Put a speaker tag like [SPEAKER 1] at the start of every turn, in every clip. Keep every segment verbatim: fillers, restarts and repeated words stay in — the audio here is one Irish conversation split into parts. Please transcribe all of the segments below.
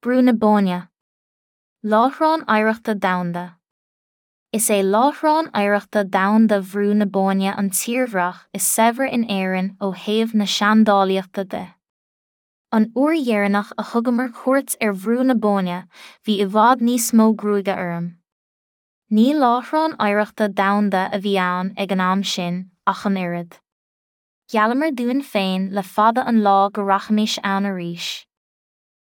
[SPEAKER 1] Brú na Bóinne. Láithreán Oidhreachta Domhanda. Is é Láithreán Oidhreachta Domhanda Bhrú na Bóinne an tírdhreach is saibhre in Éirinn ó thaobh na seandálaíochta de. An uair dheireanach a thugamar cuairt ar Bhrú na Bóinne, bhí i bhfad níos mó gruaige orm. Ní láithreán oidhreachta domhanda a bhí ann ag an am sin ach an oiread. Gheallamar dúinn féin le fada an lá go rachaimis ann arís.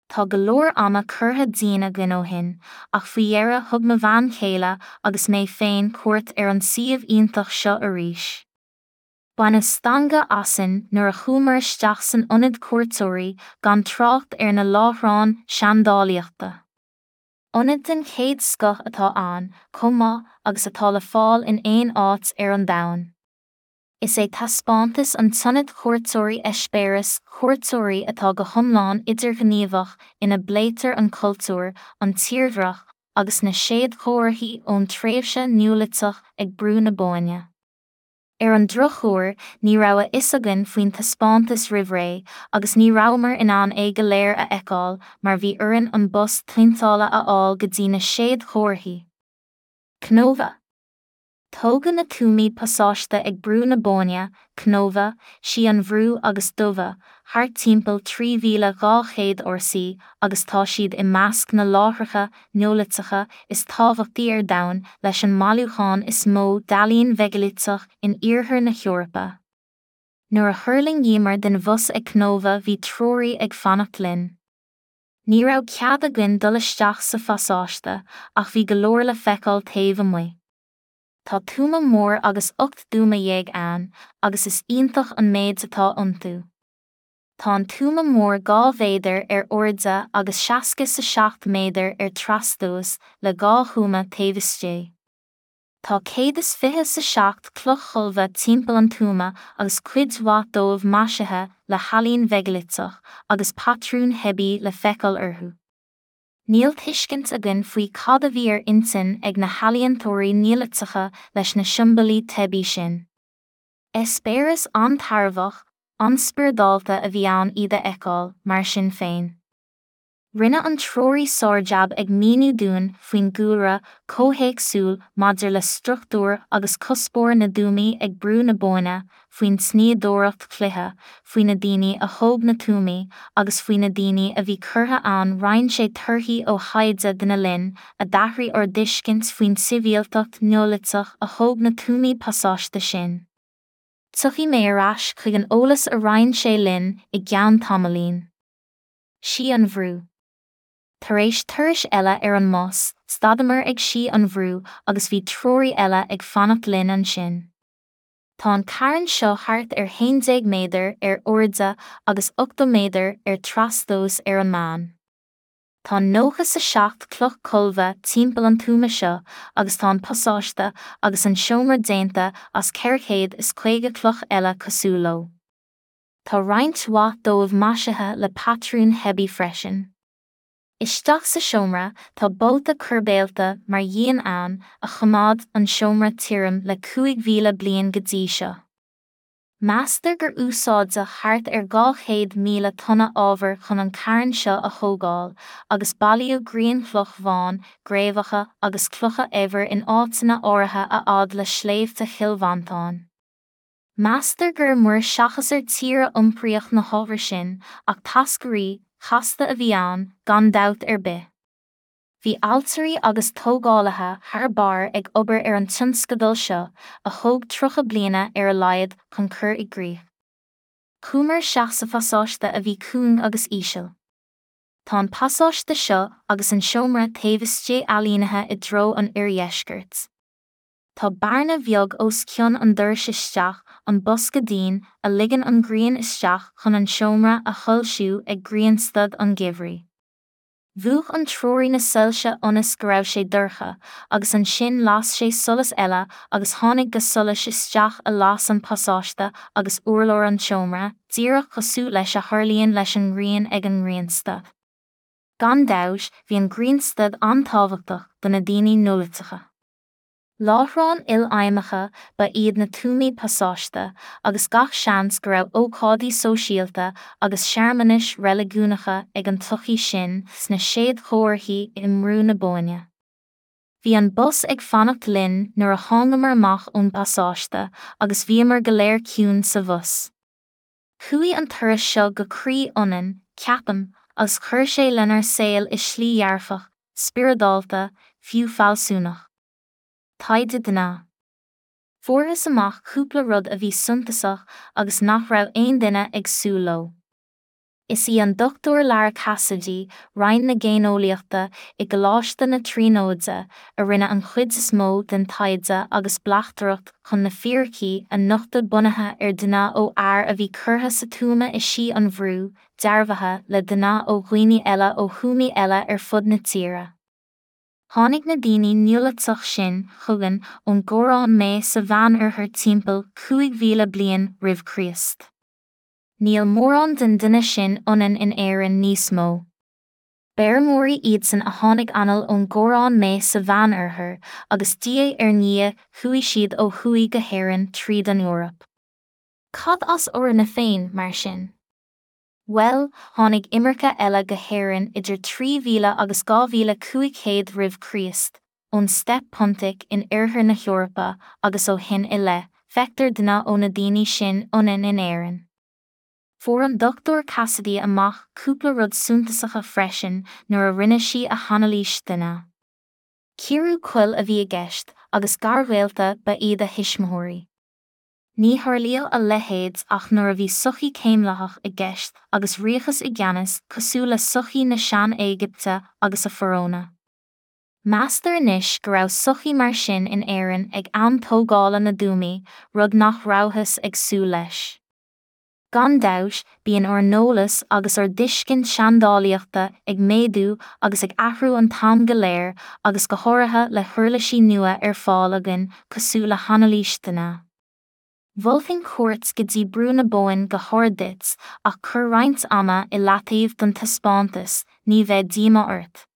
[SPEAKER 1] Tá go leor ama curtha dínn againn ó shin, ach faoi dheireadh thug mo bhean chéile agus mé féin cuairt ar an suíomh iontach seo arís. Baineadh stangadh asainn nuair a chuamar isteach san ionad cuairteoirí gan trácht ar na láithreáin seandálaíochta. Ionad den chéad scoth atá ann, chomh maith agus atá le fáil in aon áit ar an domhan. Is é taispeántas an tIonad Cuairteoirí eispéireas cuairteoirí atá go hiomlán idirghníomhach ina bpléitear an cultúr, an tírdhreach agus na séadchomharthaí ón tréimhse Neoiliteach ag Brú na Bóinne. Ar an drochuair, ní raibh a fhios againn faoin taispeántas roimh ré agus ní rabhamar in ann é go léir a fheiceáil mar bhí orainn an bus tointeála a fháil go dtí na séadchomharthaí. Cnóbha. Tógadh na tuamaí pasáiste ag Brú na Bóinne, Cnóbha, Sí an Bhrú agus Dumha, thart timpeall trí mhíle dhá chéad RC agus tá siad i measc na láithreacha Neoiliteacha is tábhachtaí ar domhan leis an mbailiúchán is mó d'ealaín mheigiliteach in iarthar na hEorpa. Nuair a thuirlingíomar den bhus ag Cnóbha bhí treoraí ag fanacht linn. Ní raibh cead againn dul isteach sa phasáiste ach bhí go leor le feiceáil taobh amuigh. Tá tuama mór agus ocht dtuama dhéag ann, agus is iontach an méid atá iontu. Tá an tuama mór dhá mhéadar ar airde agus seasca is a seacht méadar ar trastomhas le dhá thuama taobh istigh. Tá céad is fiche is a seacht cloch cholbha timpeall an tuama agus cuid mhaith dóibh maisithe le healaín mheigiliteach agus patrúin theibí le feiceáil orthu. Níl tuiscint againn faoi cad a bhí ar intinn ag na healaíontóirí Neoiliteacha leis na siombailí teibí sin. Eispéireas an-tairbheach, an-spioradálta a bhí ann iad a fheiceáil, mar sin féin. Rinne an treoraí sárjab ag míniú dúinn faoin gcúlra comhthéacsúil maidir le struchtúr agus cuspóir na dtuamaí ag Brú na Bóinne, faoin tsnoíodóireacht chloiche, faoi na daoine a thóg na tuamaí agus faoi na daoine a bhí curtha ann roinn sé torthaí ó thaighde dena linn a d'athraigh ár dtuiscint faoin tsibhialtacht Neoiliteach a thóg na tuamaí pasáiste sin. Tiocfaidh mé ar ais chuig an eolas a roinn sé linn i gceann tamaillín. Sí an Bhrú. Tar éis turais eile ar an mbus, stadamar ag Sí an Bhrú agus bhí treoraí eile ag fanacht linn ansin. Tá an carn seo thart ar haon déag méadar ar airde agus ochtó méadar ar trastomhas ar an meán. Tá nócha is a seacht cloch cholbha timpeall an tuama seo agus tá an pasáiste agus an seomra déanta as ceithre chéad is caoga cloch eile cosúil leo. Tá roinnt mhaith dóibh maisithe le patrúin theibí freisin. Isteach sa seomra tá bolta coirbéalta mar dhíon ann a choimeád an seomra tirim le cúig mhíle bliain go dtí seo. Meastar gur úsáideadh thart ar dhá chéad míle tonna ábhair chun an carn seo a thógáil, agus bailíodh grianchloch bhán, gréibheacha agus clocha eibhir in áiteanna áirithe a fhad le sléibhte Chill Mhantáin. Meastar gur muir seachas ar tír a iompraíodh na hábhair sin, ach táscairí chasta a bhí ann, gan dabht ar bith. Bhí ailtirí agus tógálaithe thar barr ag obair ar an tionscadal seo, a thóg tríocha bliana ar a laghad chun cur i gcrích. Chuamar isteach sa phasáiste a bhí cúng agus íseal. Tá an pasáiste seo agus an seomra taobh istigh ailínithe i dtreo an oirdheiscirt. Tá bearna bheag os cionn an dorais isteach, an bosca dín, a ligeann an ghrian isteach chun an seomra a shoilsiú ag grianstad an gheimhridh. Mhúch an treoraí na soilse ionas go raibh sé dorcha, agus ansin las sé solas eile agus tháinig ga solais isteach a las an pasáiste agus urlár an tseomra, díreach cosúil leis a tharlaíonn leis an ngrian ag an ngrianstad. Gan dabht, bhí an grianstad an-tábhachtach do na daoine Neoiliteacha. Láithreáin ilfheidhmeacha ba iad na tuamaí pasáiste, agus gach seans go raibh ócáidí sóisialta agus searmanais reiligiúnacha ag an tsochaí sin sna séadchomharthaí i mBrú na Bóinne. Bhí an bus ag fanacht linn nuair a thángamar amach ón bpasáiste agus bhíomar go léir ciúin sa bhus. Chuaigh an turas seo go croí ionainn, ceapaim, agus chuir sé lenár saol i slí dhearfach, spioradálta, fiú fealsúnach. Taighde DNA. Fuarthas amach cúpla rud a bhí suntasach agus nach raibh aon duine ag súil leo. Is í an Dochtúir Lara Cassidy, Roinn na Géineolaíochta i gColáiste na Tríonóide, a rinne an chuid is mó den taighde agus bleachtaireacht chun na fíricí a nochtadh bunaithe ar DNA ó fhear a bhí curtha sa tuama i Sí an Bhrú, dearbhaithe le DNA ó dhaoine eile ó thuamaí eile ar fud na tíre. Tháinig na daoine Neoiliteach sin chugainn ón gCorrán Méith sa Mheánoirthear timpeall cúig mhíle bliain roimh Chríost. Níl mórán den duine sin ionainn in Éirinn níos mó. B'fheirmeoirí iadsan a tháinig anall ón gCorrán Méith sa Mheánoirthear agus diaidh ar ndiaidh chuaigh siad ó thuaidh go hÉirinn tríd an Eoraip. Cad as orainne féin, mar sin? Bhuel, tháinig imirce eile go hÉirinn idir trí mhíle agus dhá mhíle cúig chéad roimh Chríost, ón Steppe Pontic in oirthear na hEorpa agus ó shin i leith, feictear DNA ó na daoine sin ionainn in Éirinn. Fuair an Dochtúir Cassidy amach cúpla rud suntasacha freisin nuair a rinne sí a hanailís DNA. Cíoradh coil a bhí i gceist agus garghaolta ba iad a thuismitheoirí. Ní tharlaíodh a leithéid ach nuair a bhí sochaí céimlathach i gceist agus ríochas i gceannas cosúil le sochaí na Sean-Éigipte agus a Fharónna. Meastar anois go raibh sochaí mar sin in Éirinn ag am tógála na dtuamaí, rud nach rabhthas ag súil leis. Gan dabht, bíonn ár n-eolas agus ár dtuiscint seandálaíochta ag méadú agus ag athrú an t-am go léir agus go háirithe le huirlisí nua ar fáil againn cosúil le hanailís DNA. Mholfainn cuairt go dtí Brú na Bóinne go hard duit ach cuir roinnt ama i leataobh don taispeántas, ní bheidh díomá ort.